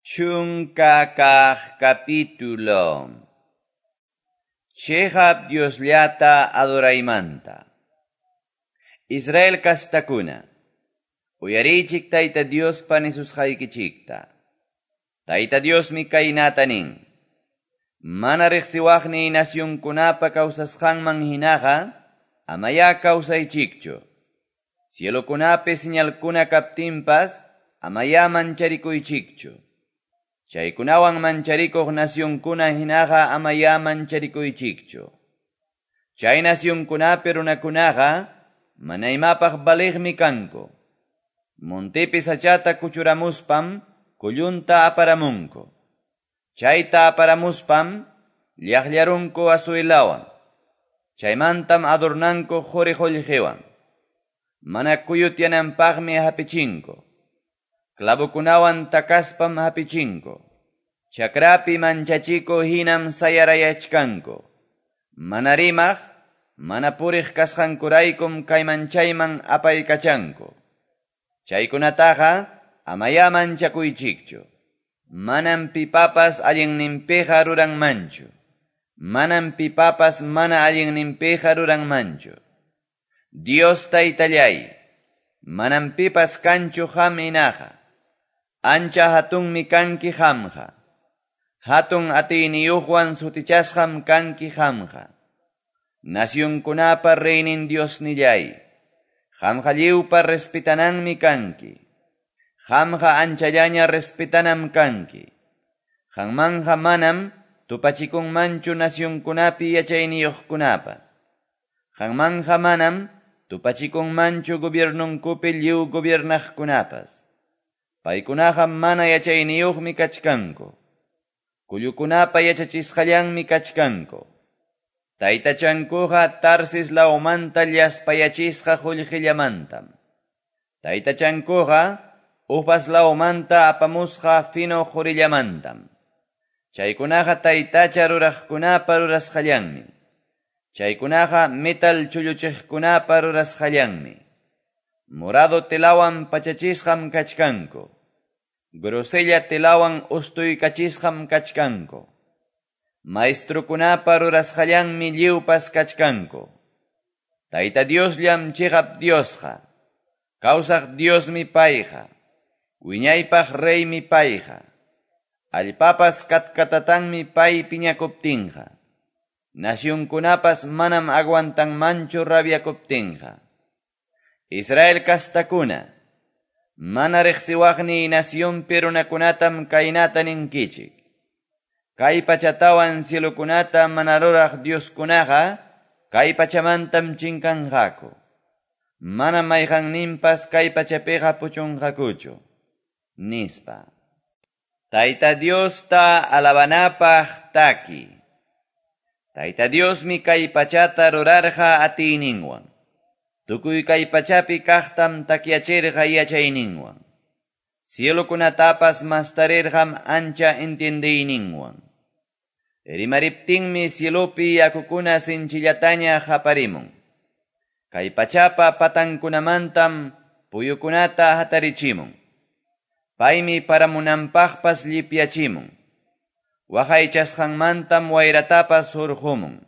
Chunka kaq capítulo. Chiqap Diosllata adoraymanta. Israel kastakuna, uyariychik Tayta Diospa nisusqaykichikta. Tayta Diosmi kaynata nin. Mana riqsiwaqniy nacionkunapa kawsasqanman hinaqa, amaya kawsaychikchu. Cielokunapi señalkuna kaptinpas, amaya mancharikuychikchu. Chaykunawan mancharikuq nacionkuna hinaqa amaya mancharikuychikchu. Chay nacionkunapi runakunaqa mana imapaq valiqmi kanku. Montepi sachata kuchuramuspam kullunta aparamunku. Chayta aparamuspam llaqllarunku asuelawan. Chaymantam adornanku quri qullqiwan. Mana kuyutyananpaqmi hapichinku. Clavokunawan takaspam hapichinku. Chakrapi manchachiko hinam sayarayachkanku. Mana rimaq, mana puriq kasqankuraykum kayman chayman apaykachanku. Chaykunataqa amaya manchakuychikchu. Manam pipapas allinninpiqa ruranmanchu. Manam pipapas mana allinninpiqa ruranmanchu. Dios taytallay, manam pipas kanchu qam hinaqa. Ancha hatunmi kanki qamqa. Hatun atiyniyuqwan sutichasqam kanki qamqa. Nacionkunapa reynin Diosnillay, qamqa lliwpa respetananmi kanki. Qamqa anchallaña respetanam kanki. Qanmanja manam tupachikunmanchu nacionkunapi yachayniyuqkunapas. Qanmanja manam tupachikunmanchu gobiernunkupi lliw gobiernaqkunapas. Paykunaqa mana yachayniyuqmi kachkanku. Kullukunapa yachachisqallanmi kachkanku. Taytachankuqa Tarsis lawmanta llaspayachisqa qullqillamantam. Taytachankuqa Ufaz lawmanta apamusqa fino qurillamantam. Chaykunaqa taytacha ruraqkunapa rurasqallanmi. Chaykunaqa metal chulluchiqkunapa rurasqallanmi. Morado telawan pachachisqam kachkanku. Grosella telawan ustuykachisqam kachkanku. Maestrukunapa rurasqallanmi lliwpas kachkanku. Tayta Diosllam chiqap Diosqa. Kawsaq Diosmi payqa. Wiñaypaq reymi payqa. Allpapas katkatatanmi pay piñakuptinqa. Nacionkunapas manam aguantanmanchu rabiakuptinqa. Israel kastakuna, mana riqsiwaqniy nacionpi runakunatam kaynata ninkichik. Kay pachatawan cielokunata mana ruraq Dioskunaqa, kay pachamantam chinkanqaku. Mana mayqanninpas kay pachapiqa puchunqakuchu. Nispa. Tayta Diosta alabanapaq taki. Tayta Diosmi kay pachata rurarqa atiyninwan. Tukuy kay pachapi kaqtam takyachirqa yachayninwan. Cielokunatapas mastarirqam ancha entiendeyninwan. Rimariptinmi cielopi yakukuna sinchillataña haparimun. Kay pachapa patankunamantam puyukunata hatarichimun. Paymi paramunanpaqpas llipyachimun. Waqaychasqanmantam wayratapas hurqumun.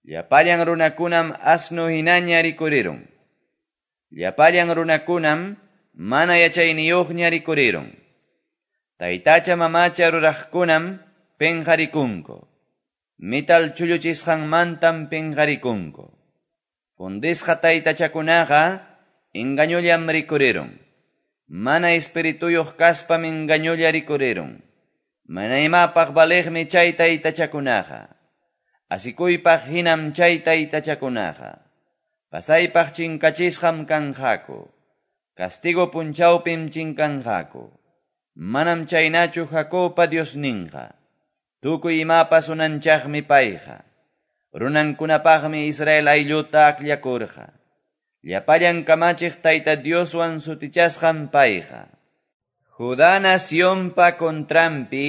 Llapallan runakunam asnu hinaña rikurirun. Llapallan runakunam mana yachayniyuqña rikurirun. Taytacha mamacha ruraqkunam penqarikunku. Metal chulluchisqanmantam penqarikunku. Fundisqa taytachakunaqa engañollam rikurirun. Mana espirituyuq kaspam engañolla rikurirun. Mana imapaq valiqmi chay taytachakunaqa. Asikuypaq hinam chay taytachakunaqa. Pasaypaq chinkachisqam kanqaku. Castigo punchawpim chinkanqaku. Manam chaynachu Jacobpa Diosninqa. Tukuy imapas unanchaqmi payqa. Runankunapaqmi Israel aylluta akllakurqa. Llapallan kamachiq Tayta Dioswan sutichasqam payqa. Judá nacionpa contranpi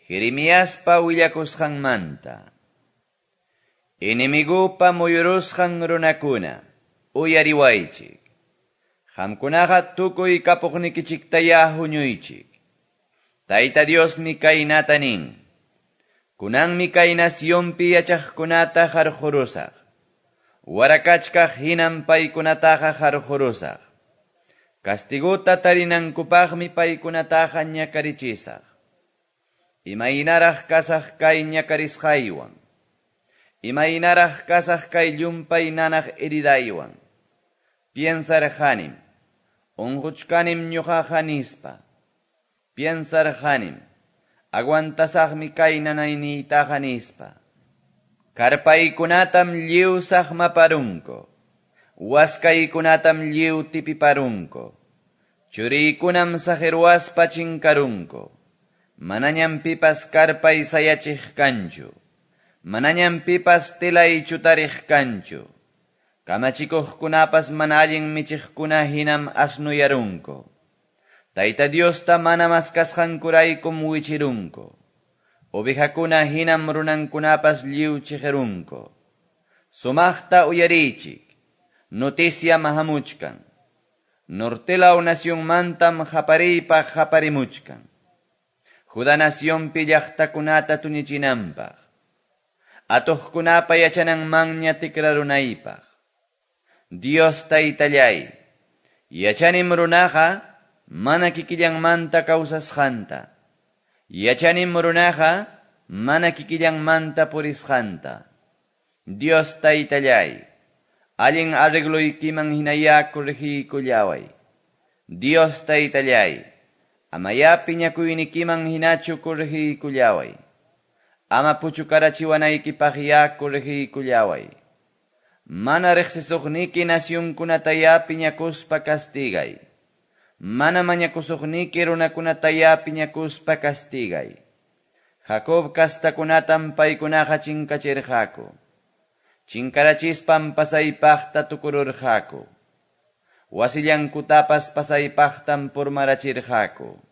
Jeremiaspa willakusqanmanta. Enemigupa muyurusqan runakuna, uyariwaychik. Qamkunaqa tukuy kapuqnikichiktaya huñuychik. Tayta Diosmi kaynata nin: Kunanmi kay nacionpi yachaqkunata qarqurusaq. Warakachkaq hinam paykunataqa qarqurusaq. Castigota tarinankupaqmi paykunataqa ñakarichisaq. Imaynaraq kasaq kay ñakarisqaywan. Imaynaraq kasaq kay llumpay nanaq heridaywan. Piensarqanim, unquchkanim ñuqaqa nispa. Piensarqanim, aguantasaqmi kay nanayniytaqa nispa. Karpaykunatam lliw saqmaparunku. Waskaykunatam lliw tipiparunku. Churiykunam saqirwaspa chinkarunku. Manañam pipas karpay sayachiq kanchu. Manañam pipas telay chutariq kanchu. Kamachikuqkunapas mana allin michiqkuna hinam asnuyarunku. Tayta Diosta mana maskasqankuraykum wichirunku. Ovejakuna hinam runankunapas lliw chiqirunku. Sumaqta uyariychik. Noticia hamuchkan. Nortelaw nacionmantam qapariypaq qaparimuchkan. Judá nacionpi llaqtakunata tuñichinanpaq. Atuqkunapa yachananmanña tikrarunaypaq. Dios Taytallay, yachanim runaqa mana kikillanmanta kawsasqanta. Yachanim runaqa mana kikillanmanta purisqanta. Dios Taytallay, allin arregloykiman hinayá corregiykullaway. Dios Taytallay, amayá piñakuynikiman hinachu corregiykullaway. Ama puchukarachiwanaykipaqyá corregiykullaway. Mana riqsisuqniki nacionkunatayá piñakuspa castigay. Mana mañakusuqniki runakunatayá piñakuspa castigay. Jacob kastakunatam paykunaqa chinkachirqaku. Chinkarachispan pasaypaqta tukururqaku. Wasillankutapas pasaypaqtam purmarachirqaku.